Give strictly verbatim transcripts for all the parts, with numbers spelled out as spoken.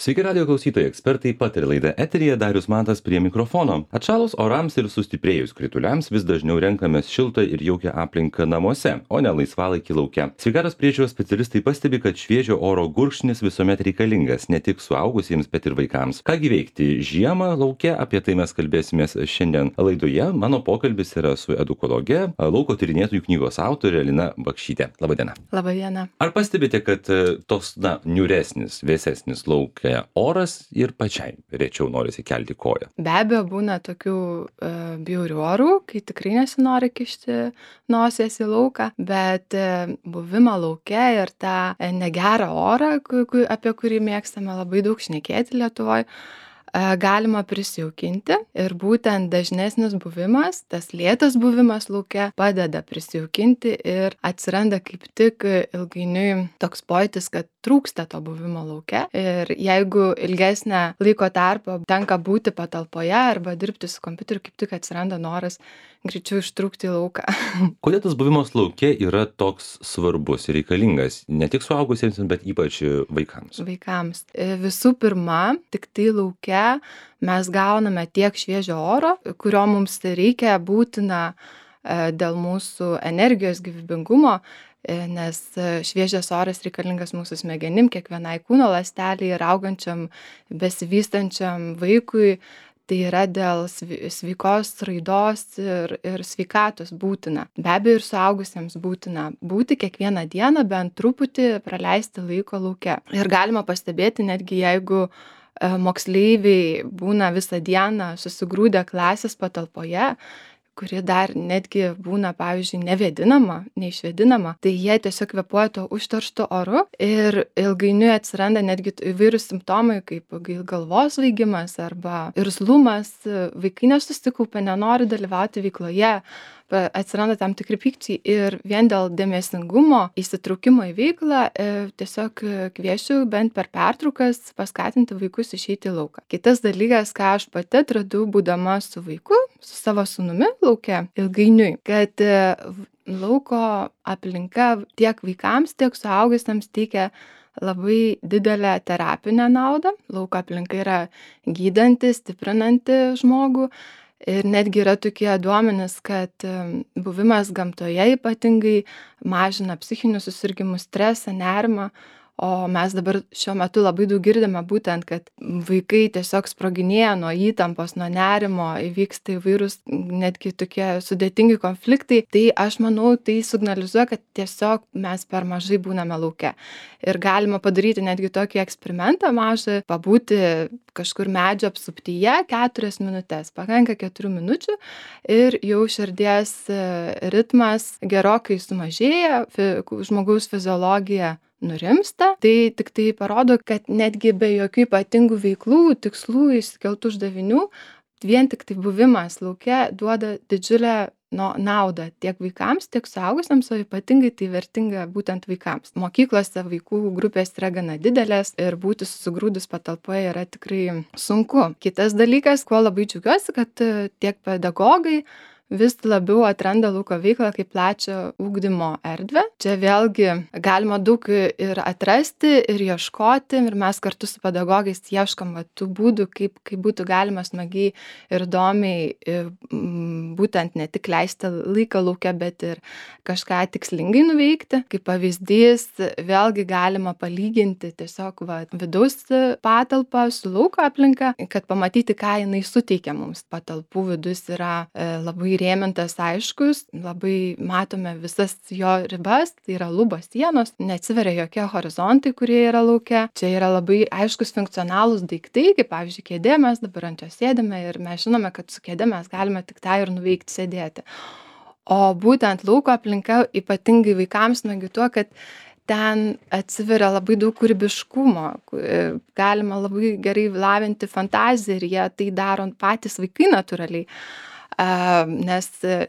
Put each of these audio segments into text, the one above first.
Sveiki radijo klausytojai, ekspertai pataria laida eteryje, Darius Matas prie mikrofono. Atšalus orams ir sustiprėjus krituliams vis dažniau renkamės šiltą ir jaukią aplinką namuose, o ne laisvalaikį lauke. Sveikatos priežiūros specialistai pastebi, kad šviežio oro gurkšnis visuomet reikalingas ne tik suaugusiems, bet ir vaikams. Kągi veikti žiemą lauke, apie tai mes kalbėsimės šiandien laidoje. Mano pokalbis yra su edukologe, lauko tyrinėtojų knygos autorė Lina Bakšytė. Labadiena. Labadiena. Ar pastebite, kad toks, na, niūresnis, vėsesnis lauke oras ir pačiai rečiau norisi kelti koją? Be abejo, būna tokių e, bjaurių orų, kai tikrai nesinori kišti nosies į lauką, bet e, buvimą lauke ir tą e, negerą orą, ku, ku, apie kurį mėgstame labai daug šnekėti Lietuvoje, galima prisijaukinti ir būtent dažnesnis buvimas, tas lėtas buvimas lauke padeda prisijaukinti ir atsiranda kaip tik ilgainiui toks pojūtis, kad trūksta to buvimo lauke ir jeigu ilgesnę laiko tarpą tenka būti patalpoje arba dirbti su kompiuteriu, kaip tik atsiranda noras greičiau ištrūkti į lauką. Kodėl tas buvimas lauke yra toks svarbus ir reikalingas ne tik suaugusiems, bet ypač vaikams? Vaikams. Visų pirma, tik tai lauke mes gauname tiek šviežio oro, kurio mums reikia būtina dėl mūsų energijos gyvybingumo, nes šviežias oras reikalingas mūsų smegenim, kiekvienai kūno ląstelei ir augančiam, besivystančiam vaikui. Tai yra dėl sveikos raidos ir, ir sveikatos būtina. Be abejo, ir suaugusiems būtina būti kiekvieną dieną bent truputį praleisti laiko lauke. Ir galima pastebėti, netgi jeigu moksleiviai būna visą dieną susigrūdę klasės patalpoje, kuri dar netgi būna, pavyzdžiui, nevėdinama, neišvėdinama, tai jie tiesiog kvėpuoja to užterštu oru ir ilgainiui atsiranda netgi įvairūs simptomai, kaip galvos svaigimas arba irzlumas, vaikai nesusikaupia, nenori dalyvauti veikloje, atsiranda tam tikri pykčiai ir vien dėl dėmesingumo, įsitraukimo į veiklą tiesiog kviečiu bent per pertraukas paskatinti vaikus išeiti į lauką. Kitas dalykas, ką aš pati atradau būdama su vaiku, su savo sūnumi lauke ilgainiui, kad lauko aplinka tiek vaikams, tiek suaugusiems teikia labai didelę terapinę naudą. Lauko aplinka yra gydanti, stiprinanti žmogų. Ir netgi yra tokie duomenys, kad buvimas gamtoje ypatingai mažina psichinius susirgimus, stresą, nerimą, o mes dabar šiuo metu labai daug girdime būtent, kad vaikai tiesiog sproginėja nuo įtampos, nuo nerimo, įvyksta įvairūs netgi tokie sudėtingi konfliktai, tai aš manau, tai signalizuoja, kad tiesiog mes per mažai būname lauke. Ir galima padaryti netgi tokį eksperimentą mažą, pabūti kažkur medžio apsuptyje keturias minutės, pakanka keturių minučių ir jau širdies ritmas gerokai sumažėja, žmogaus fiziologija nurimsta, tai tik tai parodo, kad netgi be jokių ypatingų veiklų, tikslų, išsikeltų uždavinių, vien tik tai buvimas lauke duoda didžiulę no, naudą tiek vaikams, tiek suaugusiems, o ypatingai tai vertinga būtent vaikams. Mokyklose vaikų grupės yra gana didelės ir būti susigrūdus patalpoje yra tikrai sunku. Kitas dalykas, kuo labai džiaugiuosi, kad tiek pedagogai vis labiau atranda lauko veiklą kaip plačią ugdymo erdvę. Čia vėlgi galima daug ir atrasti, ir ieškoti, ir mes kartu su pedagogais ieškom va, tų būdų, kaip, kaip būtų galima smagiai ir įdomiai būtent ne tik leisti laiką lauke, bet ir kažką tikslingai nuveikti. Kaip pavyzdys, vėlgi galima palyginti tiesiog va, vidaus patalpą su lauko aplinka, kad pamatyti, ką jinai suteikia mums. Patalpų vidus yra e, labai įrėmintas aiškus, labai matome visas jo ribas, tai yra lubos sienos, neatsiveria jokie horizontai, kurie yra lauke. Čia yra labai aiškus funkcionalūs daiktai, kaip pavyzdžiui kėdė, mes dabar ant jos sėdime ir mes žinome, kad su kėdė mes galime tik tą ir nuveikti sėdėti. O būtent lauko aplinka ypatingai vaikams smagi tuo, kad ten atsiveria labai daug kūrybiškumo, galima labai gerai lavinti fantaziją ir jie tai daro patys vaikai natūraliai. Nes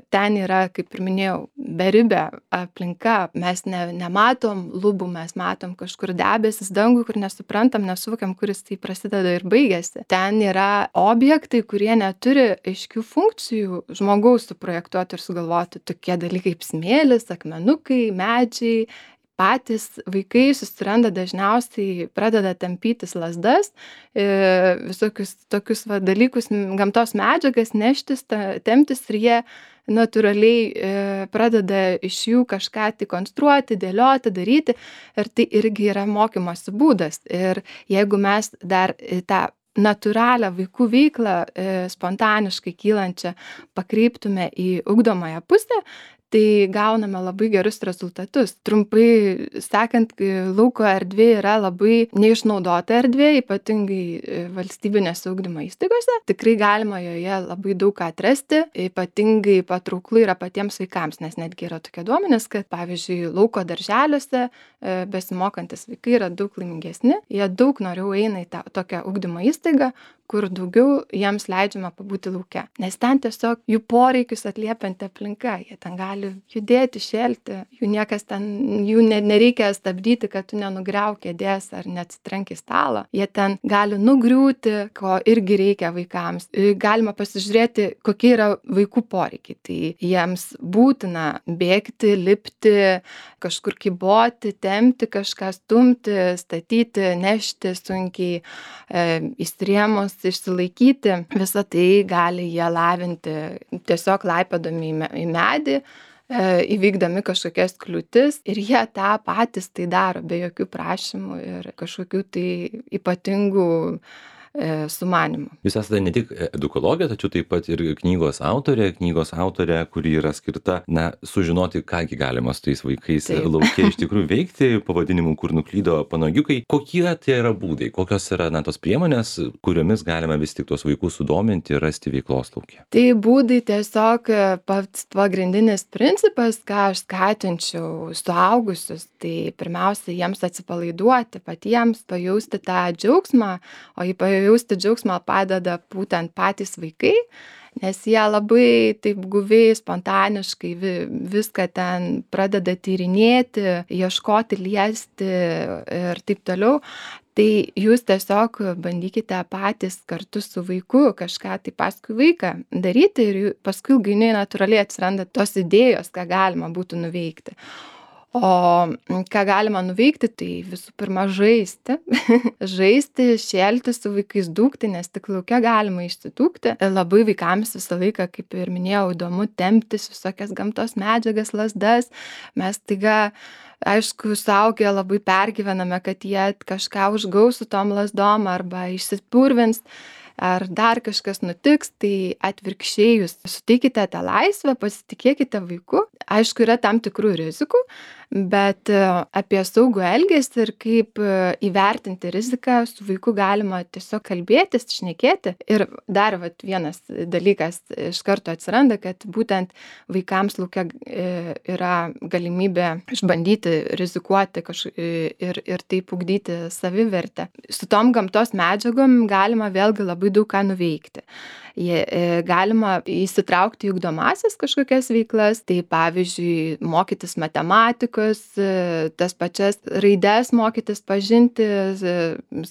ten yra, kaip ir minėjau, beribė aplinka, mes ne, nematom lubų, mes matom kažkur debesis dangų, kur nesuprantam, nesuvokiam, kuris tai prasideda ir baigėsi. Ten yra objektai, kurie neturi aiškių funkcijų žmogaus suprojektuoti ir sugalvoti, tokie dalykai kaip smėlis, akmenukai, medžiai, patys vaikai susiranda dažniausiai, pradeda tampytis lazdas, e, visokius tokius va, dalykus, m, gamtos medžiagas neštis, ta, temptis ir jie natūraliai e, pradeda iš jų kažką tai konstruoti, dėlioti, daryti ir tai irgi yra mokymosi būdas. Ir jeigu mes dar į tą natūralią vaikų veiklą e, spontaniškai kylančią pakreiptume į ugdomąją pusę, tai gauname labai gerus rezultatus. Trumpai sakant, lauko erdvė yra labai neišnaudota erdvė, ypatingai valstybinėse ugdymo įstaigose. Tikrai galima joje labai daug ką atrasti, ypatingai patrauklu yra patiems vaikams, nes netgi yra tokie duomenys, kad pavyzdžiui, lauko darželiuose besimokantis vaikai yra daug laimingesni, jie daug noriau eina į tą tokią ugdymo įstaigą, kur daugiau jiems leidžiama pabūti lauke. Nes ten tiesiog jų poreikius atliepianti aplinka, jie ten gali judėti, šėlti, jų niekas ten, jų ne, nereikia stabdyti, kad tu nenugriauk kėdės ar neatsitrenk į stalą. Jie ten gali nugriūti, ko irgi reikia vaikams. Galima pasižiūrėti, kokie yra vaikų poreikiai. Tai jiems būtina bėgti, lipti, kažkur kyboti, tempti, kažką stumti, statyti, nešti sunkiai, e, įstrėmus, išsilaikyti. Visą tai gali jie lavinti tiesiog laipėdami į medį, įvykdami kažkokias kliūtis ir jie tą patys tai daro be jokių prašymų ir kažkokių tai ypatingų sumanimų. Jūs esate ne tik edukologė, tačiau taip pat ir knygos autorė, knygos autorė, kuri yra skirta, na, sužinoti, kągi galima su tais vaikais taip. Lauke iš tikrųjų veikti, pavadinimu, kur nuklydo panagiukai. Kokie tai yra būdai, kokios yra, na, tos priemonės, kuriomis galima vis tik tos vaikus sudominti ir rasti veiklos lauke? Tai būdai tiesiog pats pagrindinis principas, ką aš skatinčiau suaugusius, tai pirmiausia, jiems atsipalaiduoti, patiems pajausti tą džiaugsmą, o į jausti džiaugsmą padeda būtent patys vaikai, nes jie labai taip guviai, spontaniškai vi, viską ten pradeda tyrinėti, ieškoti, liesti ir taip toliau. Tai jūs tiesiog bandykite patys kartu su vaiku kažką tai paskui vaiką daryti ir paskui ilgainiui natūraliai atsiranda tos idėjos, ką galima būtų nuveikti. O ką galima nuveikti, tai visų pirma žaisti, žaisti, šėlti su vaikais, dūkti, nes tik lauke galima išsidūkti. Labai vaikams visą laiką, kaip ir minėjau, įdomu temptis visokias gamtos medžiagas, lazdas. Mes taiga, aišku, suaugę labai pergyvename, kad jie kažką užgaus su tom lazdom arba išsipurvins. Ar dar kažkas nutiks, tai atvirkščiai jūs suteikite tą laisvę, pasitikėkite vaiku. Aišku, yra tam tikrų rizikų, bet apie saugų elgesį ir kaip įvertinti riziką su vaiku galima tiesiog kalbėtis, šnekėti. Ir dar vat, vienas dalykas iš karto atsiranda, kad būtent vaikams lauke yra galimybė išbandyti, rizikuoti kaž... ir, ir taip ugdyti savivertę. Su tom gamtos medžiagom galima vėlgi labai daug ką nuveikti. Jie, galima įsitraukti į ugdomąsias kažkokias veiklas, tai pavyzdžiui, mokytis matematikos, tas pačias raides mokytis, pažinti,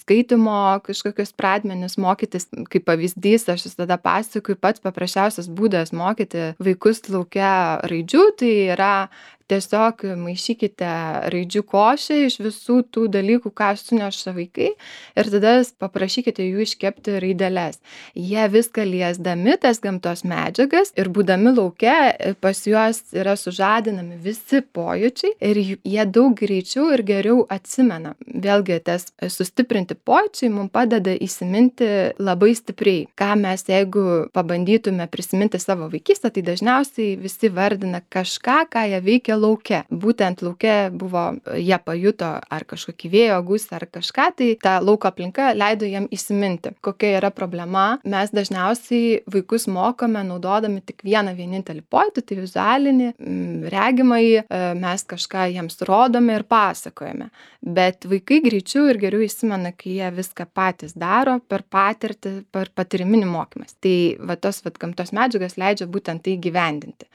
skaitimo kažkokius pradmenis mokytis. Kaip pavyzdys, aš visada pasakoju, pats paprasčiausias būdas mokyti vaikus lauke raidžių, tai yra tiesiog maišykite raidžių košę iš visų tų dalykų, ką suneša vaikai ir tada paprašykite jų iškepti raideles. Jie viską liesdami tas gamtos medžiagas ir būdami lauke pas juos yra sužadinami visi pojūčiai ir jie daug greičiau ir geriau atsimena. Vėlgi tas sustiprinti pojūčiai mums padeda įsiminti labai stipriai. Ką mes jeigu pabandytume prisiminti savo vaikystę, tai dažniausiai visi vardina kažką, ką jie veikia lauke. Būtent lauke buvo, jie pajuto ar kažkokį vėjo gūsį ar kažką, tai ta lauko aplinka leido jiem įsiminti, kokia yra problema. Mes dažniausiai vaikus mokome naudodami tik vieną vienintelį pojūtį, tai vizualinį, regimąjį, mes kažką jiems rodome ir pasakojame. Bet vaikai greičiau ir geriau įsimena, kai jie viską patys daro per patirtį, per patyriminį mokymas. Tai va tos va, gamtos medžiagas leidžia būtent tai gyvendinti.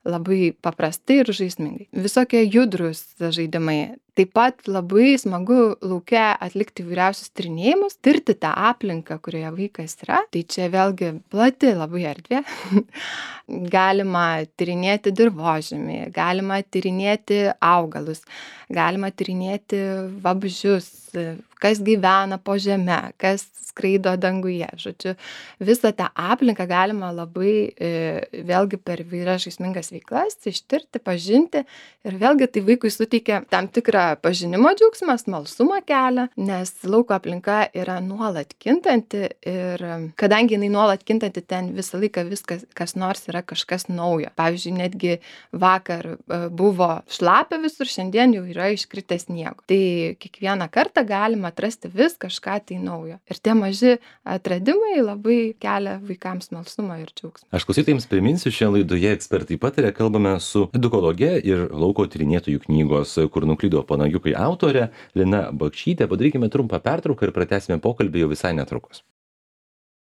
Labai paprastai ir žaismingai. Visokie judrus žaidimai. Taip pat labai smagu lauke atlikti įvairiausius tyrinėjimus, tirti tą aplinką, kurioje vaikas yra. Tai čia vėlgi plati labai erdvė. Galima tyrinėti dirvožemį, galima tyrinėti augalus, galima tyrinėti vabzdžius, kas gyvena po žeme, kas skraido danguje. Žodžiu, visą tą aplinką galima labai e, vėlgi per įvairias žaismingas veiklas ištirti, pažinti ir vėlgi tai vaikui suteikia tam tikrą pažinimo džiaugsmą, smalsumą kelia, nes lauko aplinka yra nuolat kintanti ir kadangi jinai nuolat kintanti, ten visą laiką viskas, kas nors yra kažkas naujo. Pavyzdžiui, netgi vakar buvo šlapia visur, šiandien jau yra iškritęs sniego. Tai kiekvieną kartą galima atrasti vis kažką tai naujo. Ir tie maži atradimai labai kelia vaikams smalsumą ir džiaugsmą. Aš klausytojams priminsiu, šią laidoje ekspertai pataria, kalbame su edukologe ir lauko tyrinėtojų knygos Kur nuklydo panagiukai autore Lina Bakšytė. Padarykime trumpą pertrauką ir pratęsime pokalbį jau visai netrukus.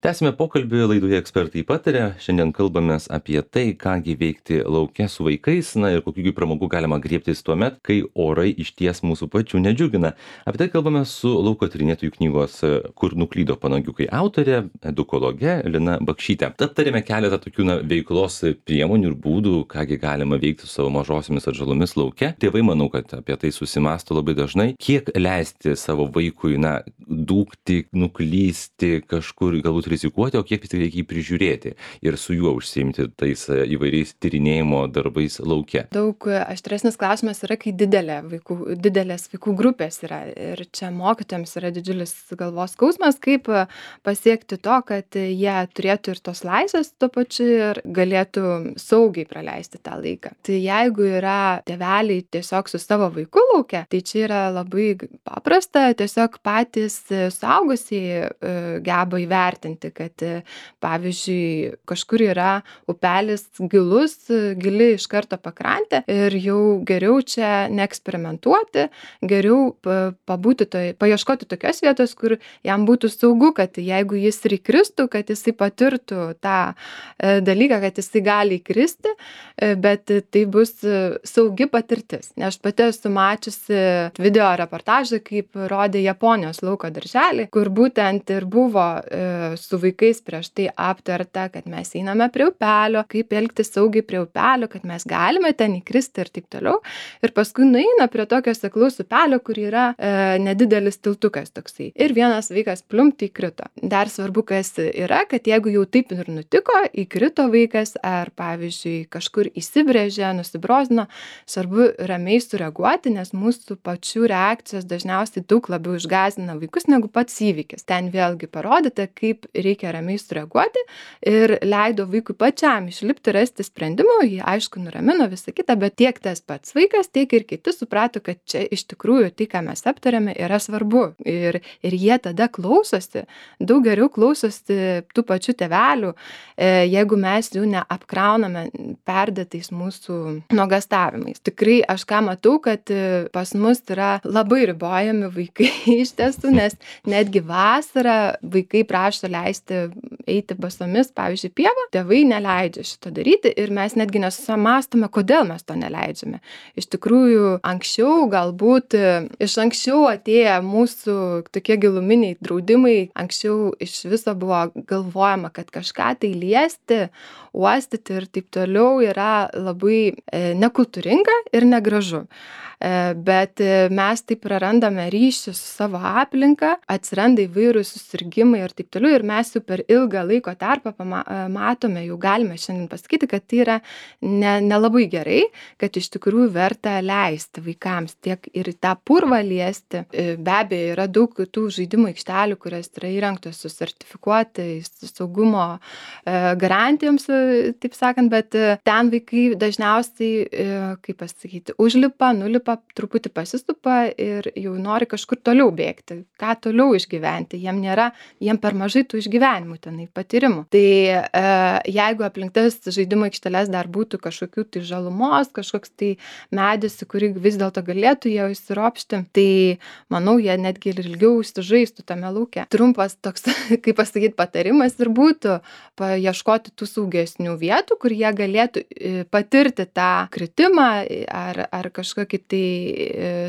Tęsime pokalbį laidoje ekspertai pataria. Šiandien kalbamės apie tai, kągi veikti lauke su vaikais, na ir kokių pramogų galima griebtis tuomet, kai orai išties mūsų pačių nedžiugina. Apie tai kalbame su lauko tyrinėtojų knygos Kur nuklydo panagiukai autorė, edukologe Lina Bakšytė. Aptarėme keletą tokių na, veiklos priemonių ir būdų, kągi galima veikti su savo mažosiomis atžalomis lauke. Tėvai, manau, kad apie tai susimąsto labai dažnai. Kiek leisti savo vaikui, na, dūkti, nuklysti kažkur, galbūt rizikuoti, o kiek vis tik reikia jį prižiūrėti ir su juo užsiimti tais įvairiais tyrinėjimo darbais lauke. Daug aštresnis klausimas yra, kai didelė vaikų, didelės vaikų grupės yra. Ir čia mokytojams yra didžiulis galvos skausmas, kaip pasiekti to, kad jie turėtų ir tos laisvės tuo pačiu ir galėtų saugiai praleisti tą laiką. Tai jeigu yra tėveliai tiesiog su savo vaiku lauke, tai čia yra labai paprasta, tiesiog patys suaugusieji geba įvertinti, kad pavyzdžiui kažkur yra upelis gilus, gili iš karto pakrantė ir jau geriau čia neeksperimentuoti, geriau pabūti toj, paieškoti tokios vietos, kur jam būtų saugu, kad jeigu jis ir įkristų, kad jisai patirtų tą dalyką, kad jisai gali įkristi, bet tai bus saugi patirtis. Nes aš pati esu mačiusi video reportažą, kaip rodė Japonijos lauko darželį, kur būtent ir buvo su vaikais prieš tai aptarta, kad mes einame prie upelio, kaip elgtis saugiai prie upelio, kad mes galime ten įkristi ir taip toliau. Ir paskui nueina prie tokio seklaus upelio, kur yra e, nedidelis tiltukas toksai. Ir vienas vaikas plumpt įkrito. Dar svarbu, kas yra, kad jeigu jau taip ir nutiko, įkrito vaikas ar pavyzdžiui kažkur įsibrėžė, nusibrozino, svarbu ramiai sureaguoti, nes mūsų pačių reakcijos dažniausiai daug labiau išgąsdina vaikus negu pats įvykis. Ten vėlgi parodyta, kaip reikia ramiai sureaguoti ir leido vaikui pačiam išlipti, rasti sprendimų, jį aišku nuramino visą kitą, bet tiek tas pats vaikas, tiek ir kiti suprato, kad čia iš tikrųjų tai, ką mes aptarėme, yra svarbu. Ir, ir jie tada klausosi, daug geriau klausosi tų pačių tėvelių, jeigu mes jų neapkrauname perdėtais mūsų nuogastavimais. Tikrai aš ką matau, kad pas mus yra labai ribojami vaikai iš tiesų, nes netgi vasarą vaikai prašo leisti eiti basomis, pavyzdžiui, pievą, tėvai neleidžia šito daryti ir mes netgi nesusimąstome, kodėl mes to neleidžiame. Iš tikrųjų, anksčiau galbūt iš anksčiau atėję mūsų tokie giluminiai draudimai, anksčiau iš viso buvo galvojama, kad kažką tai liesti, uostyti ir taip toliau yra labai e, nekultūringa ir negražu. Bet mes taip prarandame ryšį su savo aplinka, atsiranda įvairūs susirgimai ir taip toliau ir mes jau per ilgą laiko tarpą matome, jau galime šiandien pasakyti, kad tai yra ne, nelabai gerai, kad iš tikrųjų verta leisti vaikams tiek ir tą purvą liesti. Be abejo, yra daug tų žaidimų aikštelių, kurios yra įrengtos su sertifikuotais saugumo garantijoms, taip sakant, bet ten vaikai dažniausiai, kaip pasakyti, užlipa, nulipa, truputį pasisupa ir jau nori kažkur toliau bėgti, ką toliau išgyventi. Jiem nėra, jiem per mažai tų išgyvenimų tenai, patyrimų. Tai e, jeigu aplink tas žaidimo aikšteles dar būtų kažkokių tai žalumos, kažkoks tai medis, į kurį vis dėlto galėtų jie įsiropšti, tai manau, jie netgi ir ilgiau užsižaistų tame lauke. Trumpas toks, kaip pasakyti, patarimas ir būtų paieškoti tų saugesnių vietų, kur jie galėtų patirti tą kritimą ar, ar kažkokį tai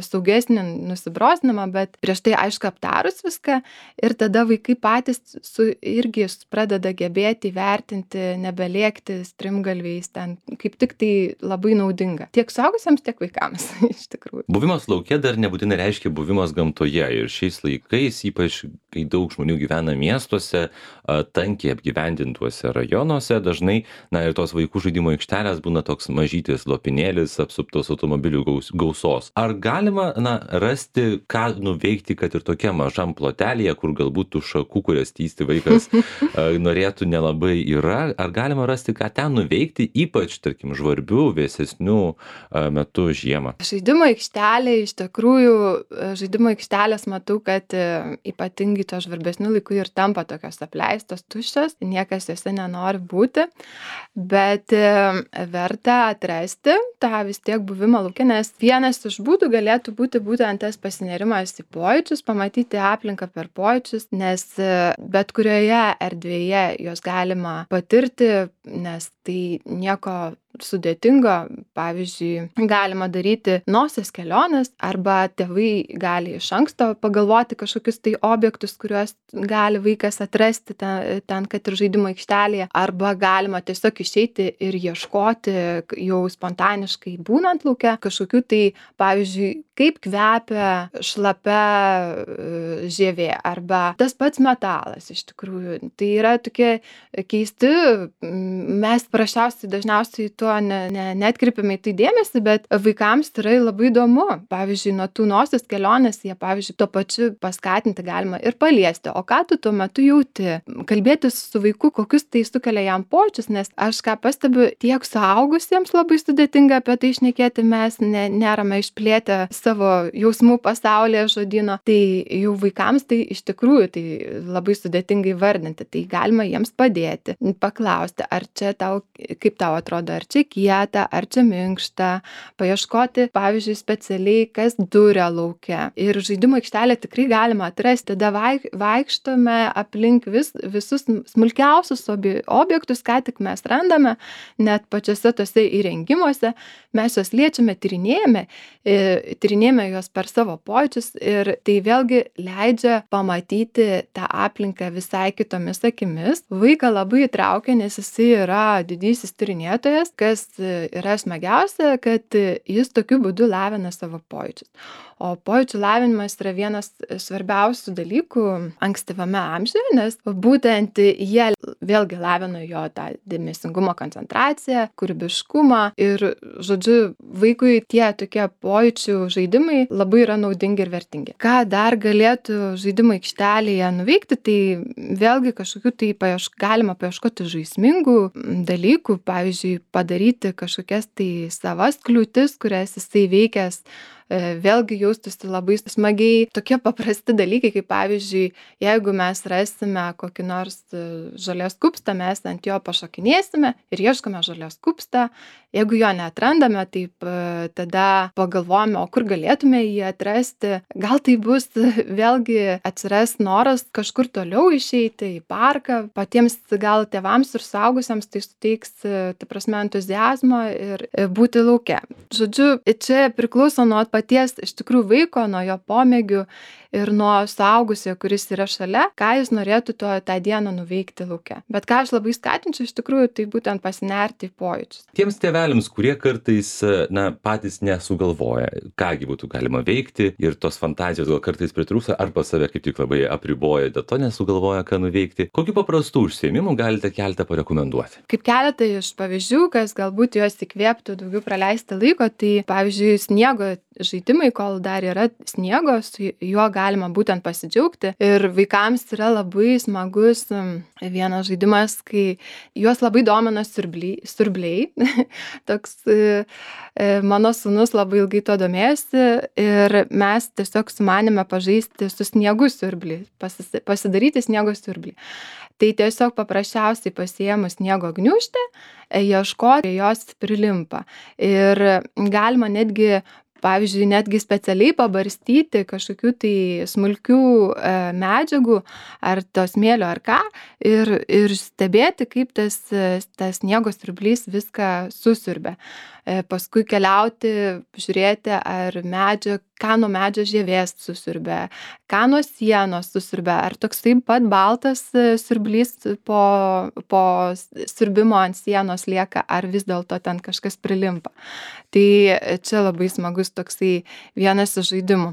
saugesnį nusibrozdinimą, bet prieš tai aišku aptarus viską ir tada vaikai patys su, irgi pradeda gebėti įvertinti, nebelėkti strimgalviais, ten kaip tik tai labai naudinga. Tiek suaugusiems, tiek vaikams, iš tikrųjų. Buvimas lauke dar nebūtinai reiškia buvimas gamtoje ir šiais laikais, ypač kai daug žmonių gyvena miestuose, tankiai apgyvendintuose rajonuose, dažnai, na ir tos vaikų žaidimo aikštelės būna toks mažytis lopinėlis apsuptos automobilių gaus, gausos. Ar galima, na, rasti, ką nuveikti, kad ir tokia mažam plotelėje, kur galbūt tų šakų, kurias tysti vaikas norėtų nelabai yra, ar galima rasti, ką ten nuveikti, ypač, tarkim, žvarbių, vėsesnių metų žiemą? Žaidimo aikštelė, iš tikrųjų, žaidimo aikštelės matau, kad ypatingai to žvarbesnių laikų ir tampa tokios apleistos, tuščios, niekas jose nenori būti, bet verta atrasti tą vis tiek buvimą lauke, nes vienas iš būdų galėtų būti būtent tas pasinerimas į pojūčius, pamatyti aplinką per pojūčius, nes bet kurioje erdvėje jos galima patirti, nes tai nieko sudėtingo, pavyzdžiui, galima daryti nosies keliones arba tėvai gali iš anksto pagalvoti kažkokius tai objektus, kuriuos gali vaikas atrasti ten, ten kad ir žaidimo aikštelėje, arba galima tiesiog išeiti ir ieškoti jau spontaniškai būnant lauke kažkokių tai, pavyzdžiui, kaip kvepia šlapia žievė arba tas pats metalas iš tikrųjų. Tai yra tokie keisti, mes prašiausiai dažniausiai tuo ne, ne, netkreipiame į tai dėmesį, bet vaikams tai yra labai įdomu. Pavyzdžiui, nuo tų nosies kelionės jie, pavyzdžiui, tuo pačiu paskatinti galima ir paliesti. O ką tu tuo metu jauti? Kalbėtis su vaiku, kokius tai sukelia jam pojūčius, nes aš ką pastebiu, tiek suaugusiems labai sudėtinga apie tai šnekėti, mes ne, nerame išplėtę savo jausmų pasaulyje žodyno. Tai jau vaikams tai iš tikrųjų tai labai sudėtingai vardinti. Tai galima jiems padėti, paklausti, ar čia tau, kaip tau atrodo, ar čia kieta, ar čia minkšta, paieškoti, pavyzdžiui, specialiai, kas duria lauke. Ir žaidimo aikštelę tikrai galima atrasti. Tada vaik, vaikštome aplink vis, visus smulkiausius objektus, ką tik mes randame, net pačiose tose įrengimuose. Mes juos liečiame, tyrinėjame, tyrinėjame juos per savo pojūčius ir tai vėlgi leidžia pamatyti tą aplinką visai kitomis akimis. Vaiką labai įtraukia, nes jisai yra didysis tyrinėtojas, kas yra smagiausia, kad jis tokiu būdu lavina savo pojūčius. O pojūčių lavinimas yra vienas svarbiausių dalykų ankstyvame amžiuje, nes būtent jie vėlgi lavina jo tą dėmesingumo koncentraciją, kūrybiškumą ir, žodžiu, vaikui tie tokie pojūčių žaidimai labai yra naudingi ir vertingi. Ką dar galėtų žaidimo aikštelėje nuveikti, tai vėlgi kažkokių tai paieš, galima paieškoti žaismingų dalykų, pavyzdžiui, padaryti kažkokias tai savas kliūtis, kurias jisai veikęs, vėlgi jaustųsi labai smagiai. Tokie paprasti dalykai, kaip pavyzdžiui, jeigu mes rasime kokį nors žolės kupstą, mes ant jo pašokinėsime ir ieškome žolės kupstą. Jeigu jo neatrandame, taip tada pagalvojame, o kur galėtume jį atrasti. Gal tai bus vėlgi atsiras noras kažkur toliau išeiti į parką. Patiems gal tėvams ir suaugusiems tai suteiks, ta prasme, entuziazmo ir būti lauke. Žodžiu, čia priklauso nuo paties iš tikrųjų vaiko, nuo jo pomėgių ir nuo suaugusio, kuris yra šalia, ką jis norėtų to, tą dieną nuveikti lauke. Bet ką aš labai skatinčiau iš tikrųjų, tai būtent pasinerti į pojūčius. Tiems tėveliams, kurie kartais, na, patys nesugalvoja, kągi būtų galima veikti ir tos fantazijos gal kartais pritrūksta arba save kaip tik labai apriboja, dėl to nesugalvoja, ką nuveikti. Kokių paprastų užsiėmimų galite keletą parekomenduoti? Kaip keletą iš pavyzdžių, kas galbūt juos įkvėptų daugiau praleisti laiko, tai pavyzdžiui, sniego žaidimai, kol dar yra sniego, su juo galima būtent pasidžiaugti. Ir vaikams yra labai smagus vienas žaidimas, kai juos labai domina siurbliai. siurbliai. Toks mano sūnus labai ilgai to domėjosi ir mes tiesiog sumanėme pažaisti su sniegu siurblį, pasidaryti sniego siurblį. Tai tiesiog paprasčiausiai pasiėmus sniego gniūžtę, ieškoti, jos prilimpa. Ir galima netgi, pavyzdžiui, netgi specialiai pabarstyti kažkokių tai smulkių e, medžiagų, ar to smėlio, ar ką, ir, ir stebėti, kaip tas, tas sniego siurblys viską susiurbia. E, paskui keliauti, žiūrėti, ar medžio, ką nuo medžio žievės susiurbia, ką nuo sienos susiurbia, ar toks taip pat baltas siurblys po, po siurbimo ant sienos lieka, ar vis dėlto ten kažkas prilimpa. Tai čia labai smagus toksai vienas iš žaidimų.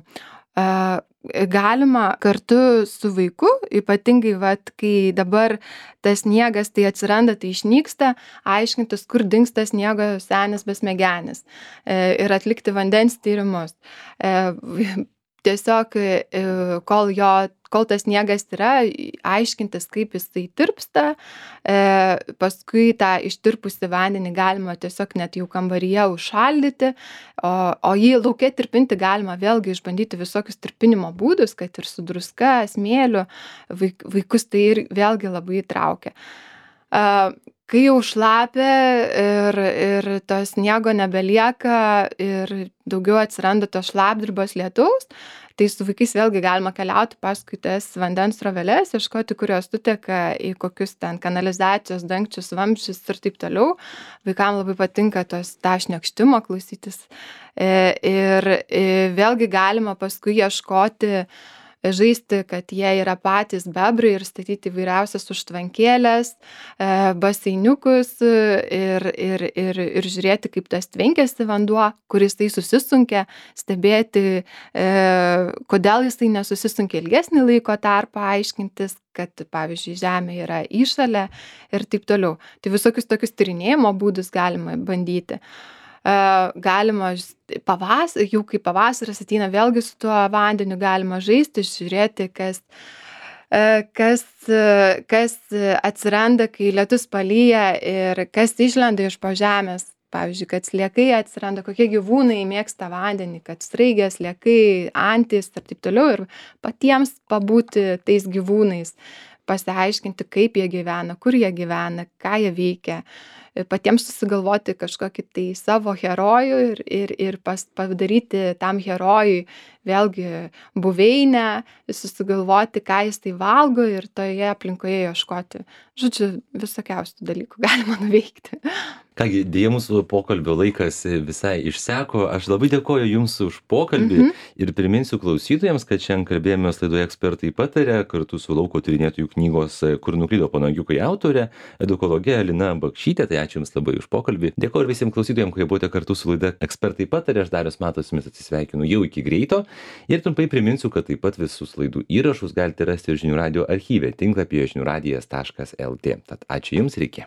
Uh, galima kartu su vaiku, ypatingai, vat, kai dabar tas sniegas tai atsiranda, tai išnyksta, aiškintis, kur dingsta sniego senis besmegenis e, ir atlikti vandens tyrimus. E, tiesiog, e, kol jo kol tas sniegas yra, aiškintis, kaip jisai tirpsta, e, paskui tą ištirpusį vandenį galima tiesiog net jau kambaryje užšaldyti, o, o jį lauke tirpinti galima vėlgi išbandyti visokius tirpinimo būdus, kad ir su druska, smėliu, vaik, vaikus tai ir vėlgi labai traukia. E, kai jau šlapia ir, ir to sniego nebelieka ir daugiau atsiranda to šlapdribos lietaus, tai su vaikais vėlgi galima keliauti paskui tas vandens sroveles, ieškoti, kurios suteka į kokius ten kanalizacijos dangčius, vamzdžius ir taip toliau. Vaikam labai patinka tos tą šniokštimo klausytis. Ir vėlgi galima paskui ieškoti, žaisti, kad jie yra patys bebrai ir statyti įvairiausias užtvankėlės, baseiniukus ir, ir, ir, ir žiūrėti, kaip tas tvenkiasi vanduo, kuris tai susisunkia, stebėti, kodėl jis tai nesusisunkia ilgesnį laiko tarpą, aiškintis, kad, pavyzdžiui, žemė yra įšalė ir taip toliau. Tai visokius tokius tyrinėjimo būdus galima bandyti. Galima pavas, jau kai pavasaris ateina, vėlgi su tuo vandeniu galima žaisti, žiūrėti, kas, kas, kas atsiranda, kai lietus palyja ir kas išlenda iš po žemės. Pavyzdžiui, kad sliekai atsiranda, kokie gyvūnai mėgsta vandenį, kad sraigės, sliekai, antys ir taip toliau. Ir patiems pabūti tais gyvūnais, pasiaiškinti, kaip jie gyvena, kur jie gyvena, ką jie veikia. Patiems susigalvoti kažkokį tai savo herojų ir, ir, ir pas, padaryti tam herojui vėlgi buveinę, susigalvoti, ką jis tai valgo ir toje aplinkoje ieškoti. Žodžiu, visokiausių dalykų galima nuveikti. Kągi, dėja mūsų pokalbio laikas visai išseko. Aš labai dėkoju Jums už pokalbį mm-hmm. ir priminsiu klausytojams, kad šiandien kalbėjomės laidoje Ekspertai pataria kartu su lauko tyrinėtojų knygos Kur nuklydo panagiukai autorė, edukologė Lina Bakšytė. Tai ačiū Jums labai už pokalbį. Dėkoju visiems klausytojams, kurie buvote kartu su laida Ekspertai pataria. Aš Darius Matas su Jumis atsisveikinu jau iki greito. Ir trumpai priminsiu, kad taip pat visus laidų įrašus galite rasti žinių radijo archyve tinklapyje žinių radijas taškas lt. Tad ačiū Jums ir iki.